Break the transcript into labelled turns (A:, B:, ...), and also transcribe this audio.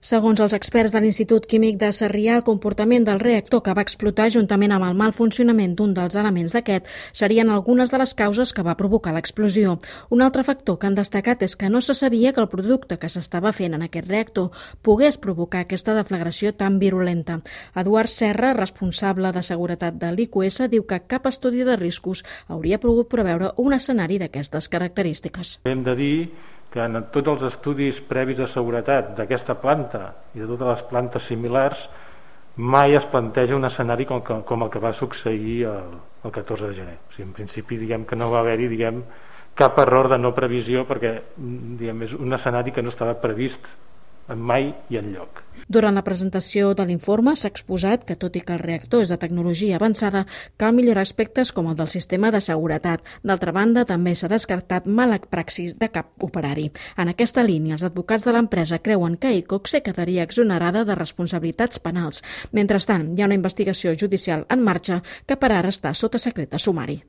A: Segons els experts de l'Institut Químic de Sarrià, el comportament del reactor que va explotar juntament amb el mal funcionament d'un dels elements d'aquest serien algunes de les causes que va provocar l'explosió. Un altre factor que han destacat és que no se sabia que el producte que s'estava fent en aquest reactor pogués provocar aquesta deflagració tan virulenta. Eduard Serra, responsable de seguretat de l'IQS, diu que cap estudi de riscos hauria pogut preveure un escenari d'aquestes característiques.
B: Hem de dir que en tots els estudis previs de seguretat d'aquesta planta i de totes les plantes similars mai es planteja un escenari com el que va succeir el 14 de gener. O sigui, en principi diguem que no va haver-hi cap error de no previsió perquè és un escenari que no estava previst mai i enlloc.
A: Durant la presentació de l'informe s'ha exposat que, tot i que el reactor és de tecnologia avançada, cal millorar aspectes com el del sistema de seguretat. D'altra banda, també s'ha descartat mala praxis de cap operari. En aquesta línia, els advocats de l'empresa creuen que Iqoxe quedaria exonerada de responsabilitats penals. Mentrestant, hi ha una investigació judicial en marxa que per ara està sota secret de sumari.